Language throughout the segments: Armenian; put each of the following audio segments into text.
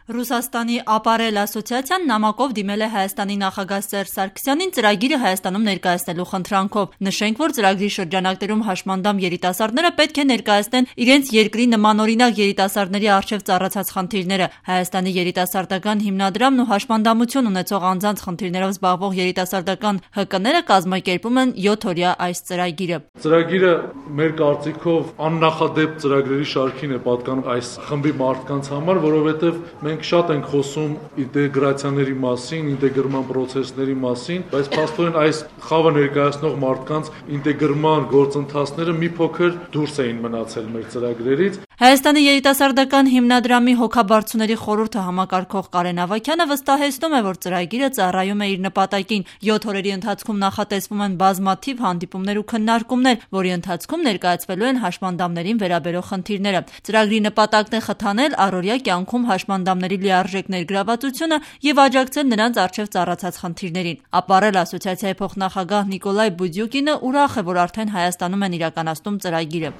Ռուսաստանի ապարել ասոցիացիան նամակով դիմել է Հայաստանի նախագահ Սերժ Սարգսյանին ծրագիրը Հայաստանում ներկայացնելու խնդրանքով։ Նշենք, որ ծրագրի շրջանակներում հաշմանդամ երիտասարդները պետք է ներկայացնեն իրենց երկրի նմանօրինակ երիտասարդների առջև ծառացած խնդիրները։ Հայաստանի երիտասարդական հիմնադրամն ու հաշմանդամություն ունեցող անձանց խնդիրներով զբաղվող երիտասարդական ՀԿ-ները կազմակերպում են 7-օրյա այս ծրագիրը։ Ծրագիրը մեր կարծիքով աննախադեպ ծրագրերի շարքին է պատկանում այս խմբի մարդկանց համար, որովհետև մենք շատ ենք խոսում ինտեգրացիաների մասին, ինտեգրման պրոցեսների մասին, բայց փաստորեն այս խավը ներկայացնող մարդկանց ինտեգրման գործընթացները մի փոքր դուրս էին մնացել մեր ծրագրերից։ Հայաստանի երիտասարդական հիմնադրամի հոգաբարձուների խորհուրդը համակարգող Կարեն Ավագյանը վստահեցնում է, որ ծրագիրը ծառայում է իր նպատակին։ 7 օրերի ընթացքում նախատեսվում են բազմաթիվ հանդիպումներ ու քննարկումներ, որի ընթացքում ներկայացվելու են հաշմանդամներին վերաբերող խնդիրները։ Ծրագրի նպատակն է խթանել առօրյա կյանքում հաշմանդամների լիարժեք ներգրավվածությունը եւ աջակցել նրանց առջև ծառացած խնդիրներին։ Ապարել ասոցիացիայի փոխնախագահ Նիկոլայ Բուդյուկինը ուրախ է, որ արդեն Հայաստանում են իրականացնում ծրագիրը։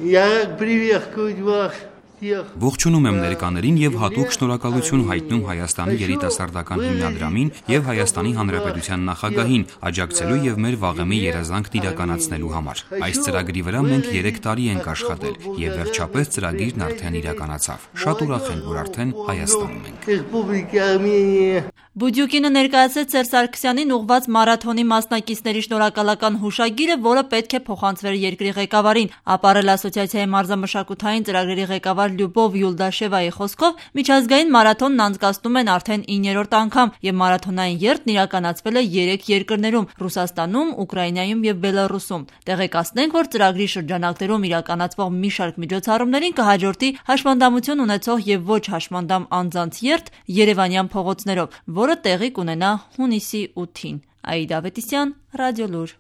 Ողջունում եմ ներկաներին եւ հատուկ շնորհակալություն հայտնում Հայաստանի երիտասարդական հիմնադրամին եւ Հայաստանի Հանրապետության նախագահին աջակցելու եւ մեր վաղեմի երազանքն իրականացնելու համար։ Այս ծրագրի վրա մենք 3 տարի ենք աշխատել եւ վերջապես ծրագիրն արդեն իրականացավ։ Շատ ուրախ ենք, որ արդեն Հայաստանում ենք։ Բուդյուկինը ներկայացրեց Սերժ Սարգսյանին ուղղված մարաթոնի մասնակիցների շնորհակալական հուշագիրը, որը պետք է փոխանցվեր երկրի ղեկավարին։ Ապարել ասոցիացիայի մարզամշակութային ծրագրերի ղեկավար Լյուբով Յուլդաշևայի խոսքով միջազգային մարաթոնն անցկացնում են արդեն 9-րդ անգամ եւ մարաթոնային երթն իրականացվել է 3 երկրներում՝ Ռուսաստանում, Ուկրաինայում եւ Բելառուսում։ Տեղեկացնենք, որ ծրագրի շրջանակներում իրականացվող մի շարք միջոցառումներին կհաջորդի հաշմանդամություն ունեցող եւ ոչ հաշմանդամ անձանց երթ Երևանյան փողոցներով, որը տեղի կունենա հունիսի 8-ին։ Աիդա Ավետիսյան, Ռադիոլուր։